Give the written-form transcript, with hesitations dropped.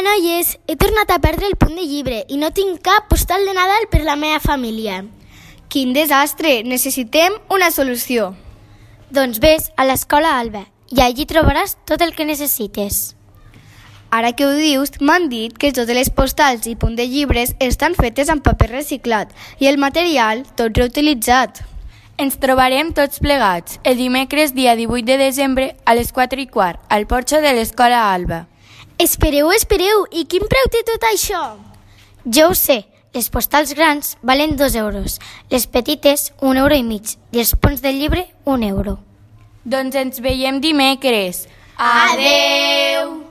noies, he tornat a perdre el punt de llibre i no tinc cap postal de Nadal per la meva família. Quin desastre! Necessitem una solució. Doncs vés a l'escola Alba i allí trobaràs tot el que necessites. Ara que ho dius, m'han dit que totes les postals i punt de llibres estan fetes amb paper reciclat i el material tot reutilitzat. Ens trobarem tots plegats el dimecres dia 18 de desembre a les 4:15 al porxo de l'escola Alba. Espereu, i quin preu té tot això? Jo ho sé, les postals grans valen 2 euros, les petites 1,5 euros i els punts del llibre 1 euro. Doncs ens veiem dimecres. Adeu!